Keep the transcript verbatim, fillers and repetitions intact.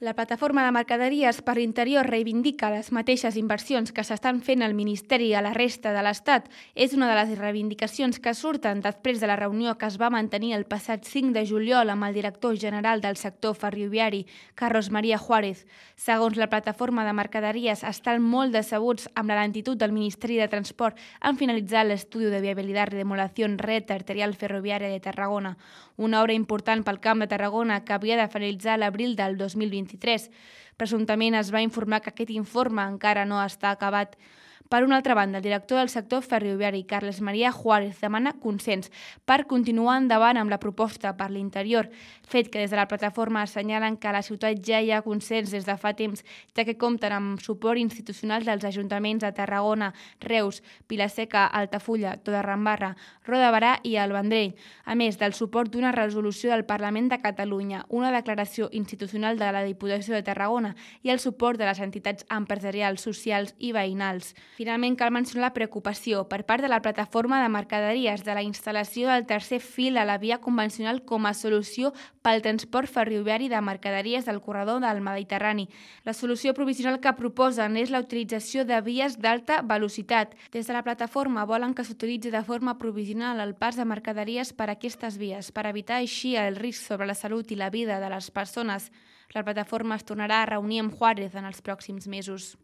La plataforma de mercaderies per l'interior reivindica les mateixes inversions que s'estan fent al Ministeri a la resta de l'Estat. És una de les reivindicacions que surten després de la reunió que es va mantenir el passat cinc de juliol amb el director general del sector ferroviari, Carlos María Juárez. Segons la plataforma de mercaderies, estan molt decebuts amb la lentitud del Ministeri de Transport en finalitzar l'estudi de viabilitat de remodelación red arterial ferroviària de Tarragona, una obra important pel Camp de Tarragona que havia de finalitzar l'abril del dos mil vint-i-tres. Presumptament es va informar que aquest informe encara no està acabat. Per una altra banda, el director del sector ferroviari, Carles María Juárez, demana consens per continuar endavant amb la proposta per l'interior, fet que des de la plataforma assenyalen que a la ciutat ja hi ha consens des de fa temps, ja que compten amb suport institucional dels ajuntaments de Tarragona, Reus, Vila-seca, Altafulla, Torredembarra, Roda de Berà i el Vendrell, a més del suport d'una resolució del Parlament de Catalunya, una declaració institucional de la Diputació de Tarragona i el suport de les entitats empresarials, socials i veïnals. Finalment, cal mencionar la preocupació per part de la plataforma de mercaderies de la instal·lació del tercer fil a la via convencional com a solució pel transport ferroviari de mercaderies del corredor del Mediterrani. La solució provisional que proposen és la utilització de vies d'alta velocitat. Des de la plataforma volen que s'utilitzi de forma provisional el pas de mercaderies per aquestes vies, per evitar així el risc sobre la salut i la vida de les persones. La plataforma es tornarà a reunir amb Juárez en els pròxims mesos.